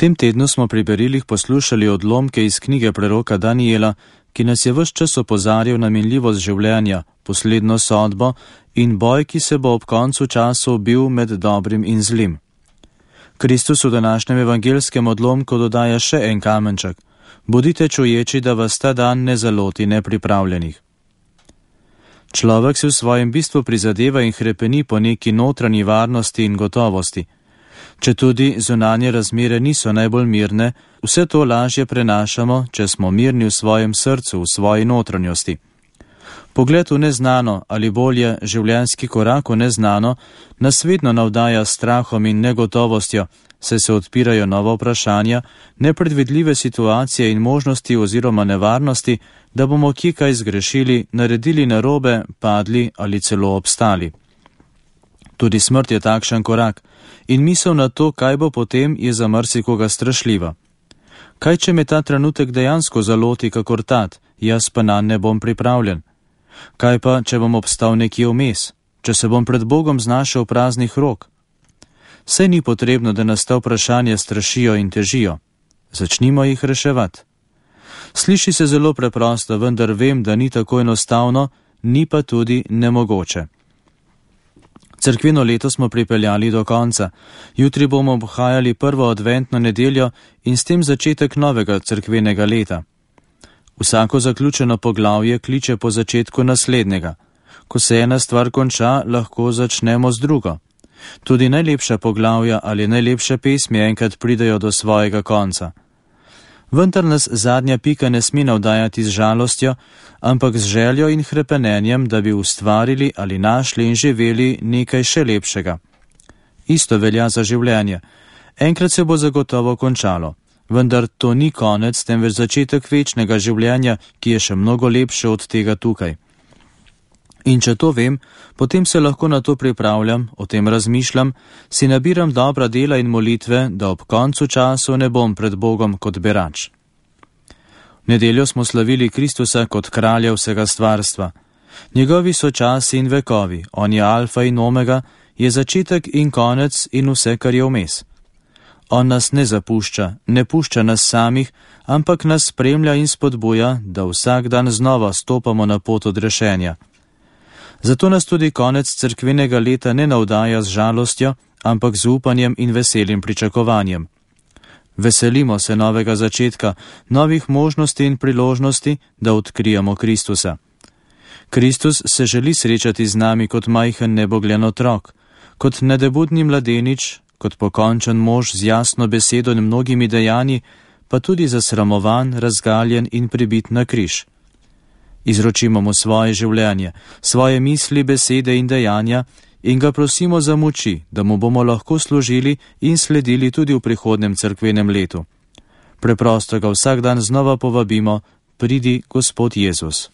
tem tednu smo pri berilih poslušali odlomke iz knjige preroka Daniela, ki nas je ves čas opozarjal na minljivost življenja, posledno sodbo in boj, ki se bo ob koncu časov bil med dobrim in zlim. Kristus v današnjem evangelskem odlomku dodaja še en kamenček: bodite čuječi, da vas ta dan ne zaloti nepripravljenih. Človek se v svojem bistvu prizadeva in hrepeni po neki notranji varnosti in gotovosti. Četudi zunanje razmere niso najbolj mirne, vse to lažje prenašamo, če smo mirni v svojem srcu, v svoji notranjosti. Pogled v neznano ali bolje življenjski korak v neznano nas vedno navdaja s strahom in negotovostjo, saj se odpirajo nova vprašanja, nepredvidljive situacije in možnosti oziroma nevarnosti, da bomo kje kaj zgrešili, naredili narobe, padli ali celo obstali. Tudi smrt je takšen korak in misel na to, kaj bo potem, je za marsikoga strašljiva. Kaj, če me ta trenutek dejansko zaloti kakor tat, jaz pa nanj ne bom pripravljen? Kaj pa, če bom obstal nekje vmes, če se bom pred Bogom znašel praznih rok? Saj ni potrebno, da nas ta vprašanja strašijo in težijo. Začnimo jih reševati. Sliši se zelo preprosto, vendar vem, da ni tako enostavno, ni pa tudi nemogoče. Cerkveno leto smo pripeljali do konca. Jutri bomo obhajali prvo adventno nedeljo in s tem začetek novega cerkvenega leta. Vsako zaključeno poglavje kliče po začetku naslednjega. Ko se ena stvar konča, lahko začnemo z drugo. Tudi najlepša poglavja ali najlepše pesmi enkrat pridejo do svojega konca. Vendar nas zadnja pika ne sme navdajati z žalostjo, ampak z željo in hrepenenjem, da bi ustvarili ali našli in živeli nekaj še lepšega. Isto velja za življenje. Enkrat se bo zagotovo končalo, vendar to ni konec, temveč začetek večnega življenja, ki je še mnogo lepše od tega tukaj. In če to vem, potem se lahko na to pripravljam, o tem razmišljam, si nabiram dobra dela in molitve, da ob koncu časov ne bom pred Bogom kot berač. V nedeljo smo slavili Kristusa kot kralja vsega stvarstva. Njegovi so časi in vekovi, on je alfa in omega, je začetek in konec in vse, kar je vmes. On nas ne zapušča, ne pušča nas samih, ampak nas spremlja in spodbuja, da vsak dan znova stopamo na pot odrešenja. Zato nas tudi konec cerkvenega leta ne navdaja z žalostjo, ampak z upanjem in veselim pričakovanjem. Veselimo se novega začetka, novih možnosti in priložnosti, da odkrijemo Kristusa. Kristus se želi srečati z nami kot majhen nebogljen otrok, kot nedebudni mladenič, kot pokončen mož z jasno besedo in mnogimi dejanji, pa tudi zasramovan, razgaljen in pribit na križ. Izročimo mu svoje življenje, svoje misli, besede in dejanja in ga prosimo za moči, da mu bomo lahko služili in sledili tudi v prihodnem cerkvenem letu. Preprosto ga vsak dan znova povabimo: pridi, Gospod Jezus.